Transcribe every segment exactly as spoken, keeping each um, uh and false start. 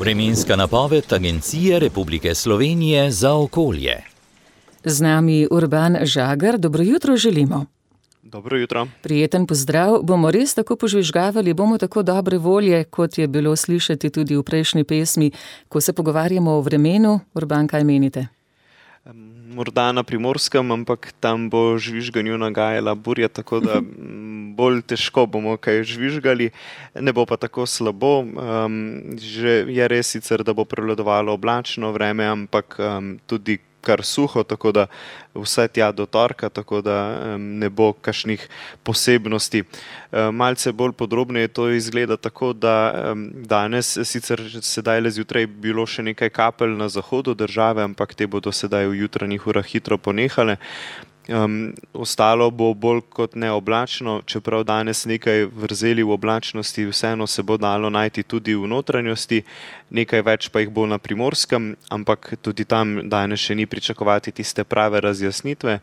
Vremenska napoved Agencije Republike Slovenije za okolje. Z nami Urban Žagar, dobro jutro želimo. Dobro jutro. Prijeten pozdrav, bomo res tako požvižgavali, bomo tako dobre volje, kot je bilo slišati tudi v prejšnji pesmi, ko se pogovarjamo o vremenu. Urban, kaj menite? Morda na Primorskem, ampak tam bo žvižganju nagajala burja, tako da bolj težko bomo kaj žvižgali, ne bo pa tako slabo. Um, že je res sicer, da bo prevladovalo oblačno vreme, ampak um, tudi kar suho, tako da vse tja do torka, tako da um, ne bo kakšnih posebnosti. Um, malce bolj podrobneje to izgleda tako, da um, danes sicer sedaj le zjutraj bilo še nekaj kapelj na zahodu države, ampak te bodo sedaj v jutranjih urah hitro ponehale. Um, ostalo bo bolj kot ne oblačno, čeprav danes nekaj vrzeli v oblačnosti, vseeno se bo dalo najti tudi v notranjosti, nekaj več pa jih bo na Primorskem, ampak tudi tam danes še ni pričakovati tiste prave razjasnitve.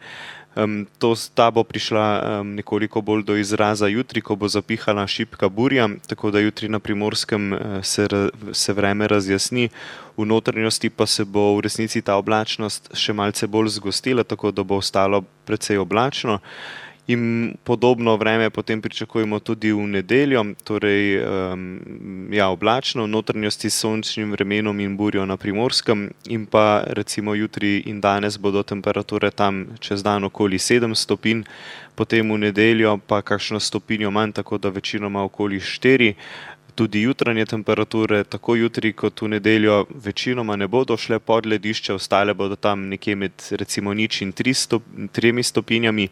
Um, to, ta bo prišla um, nekoliko bolj do izraza jutri, ko bo zapihala šibka burja, tako da jutri na Primorskem uh, se, se vreme razjasni, v notranjosti pa se bo v resnici ta oblačnost še malce bolj zgostila, tako da bo ostalo precej oblačno. In podobno vreme potem pričakujemo tudi v nedeljo, torej um, ja, oblačno, v notranjosti s sončnim vremenom in burjo na Primorskem, in pa recimo jutri in danes bodo temperature tam čez dan okoli sedem stopinj, potem v nedeljo pa kakšno stopinjo manj, tako da večinoma okoli štiri. Tudi jutranje temperature, tako jutri kot v nedeljo, večinoma ne bodo šle pod ledišče, ostale bodo tam nekje med recimo nič in tri stop, tremi stopinjami,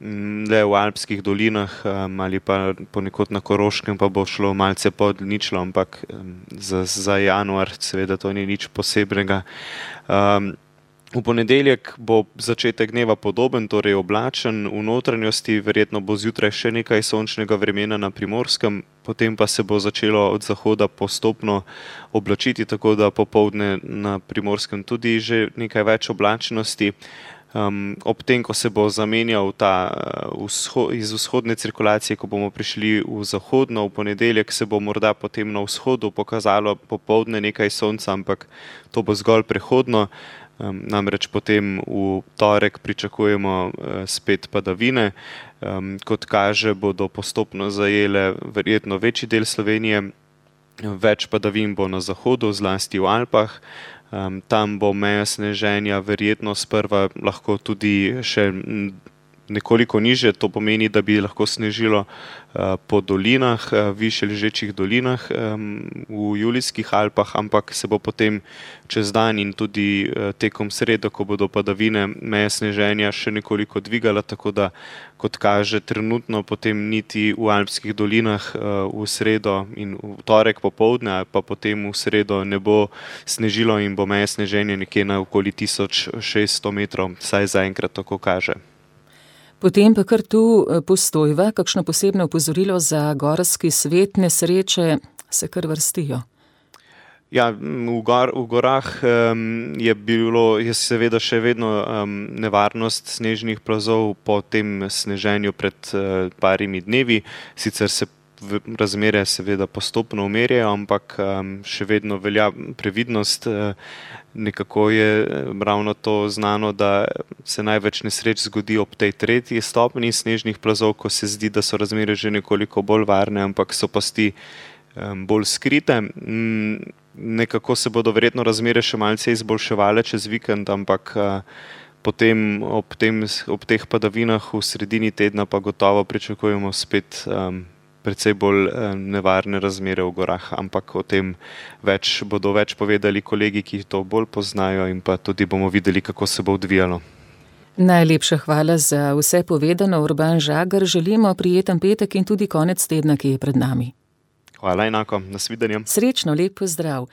le v alpskih dolinah um, ali pa ponekod na Koroškem pa bo šlo malce pod ničlo, ampak um, za, za januar seveda to ni nič posebnega. Um, V ponedeljek bo začetek dneva podoben, torej oblačen, v notranjosti verjetno bo zjutraj še nekaj sončnega vremena na Primorskem, potem pa se bo začelo od zahoda postopno oblačiti, tako da popoldne na Primorskem tudi že nekaj več oblačnosti. Um, ob tem, ko se bo zamenjal ta uh, vzho, iz vzhodne cirkulacije, ko bomo prišli v zahodno, v ponedeljek se bo morda potem na vzhodu pokazalo popoldne nekaj sonca, ampak to bo zgolj prehodno. Um, namreč potem v torek pričakujemo uh, spet padavine. Um, kot kaže, bodo postopno zajele verjetno večji del Slovenije, več padavin bo na zahodu, zlasti v Alpah. Um, tam bo meja sneženja verjetno sprva lahko tudi še nekoliko niže, to pomeni, da bi lahko snežilo uh, po dolinah, uh, više ležečih dolinah um, v Julijskih Alpah, ampak se bo potem čez dan in tudi uh, tekom sredo, ko bodo padavine, meja sneženja še nekoliko dvigala, tako da, kot kaže, trenutno potem niti v alpskih dolinah uh, v sredo in v torek popoldne, pa potem v sredo ne bo snežilo in bo meja sneženja nekje na okoli tisoč šeststo metrov, saj zaenkrat tako kaže. Potem pa kar tu Postojva, kakšno posebno opozorilo za gorski svet, nesreče se kar vrstijo. Ja, v, gor, v gorah um, je bilo, je seveda še vedno um, nevarnost snežnih plazov po tem sneženju pred uh, parimi dnevi, sicer se razmere seveda postopno umirjajo, ampak um, še vedno velja previdnost. Uh, nekako je ravno to znano, da se največ nesreč zgodi ob tej tretji stopnji snežnih plazov, ko se zdi, da so razmere že nekoliko bolj varne, ampak so pasti um, bolj skrite. Um, nekako se bodo verjetno razmere še malce izboljševale čez vikend, ampak uh, potem ob, tem, ob teh padavinah v sredini tedna pa gotovo pričakujemo spet um, precej bolj nevarne razmere v gorah, ampak o tem več, bodo več povedali kolegi, ki to bolj poznajo, in pa tudi bomo videli, kako se bo odvijalo. Najlepša hvala za vse povedano, Urban Žagar. Želimo prijeten petek in tudi konec tedna, ki je pred nami. Hvala enako, nasvidenje. Srečno, lep pozdrav.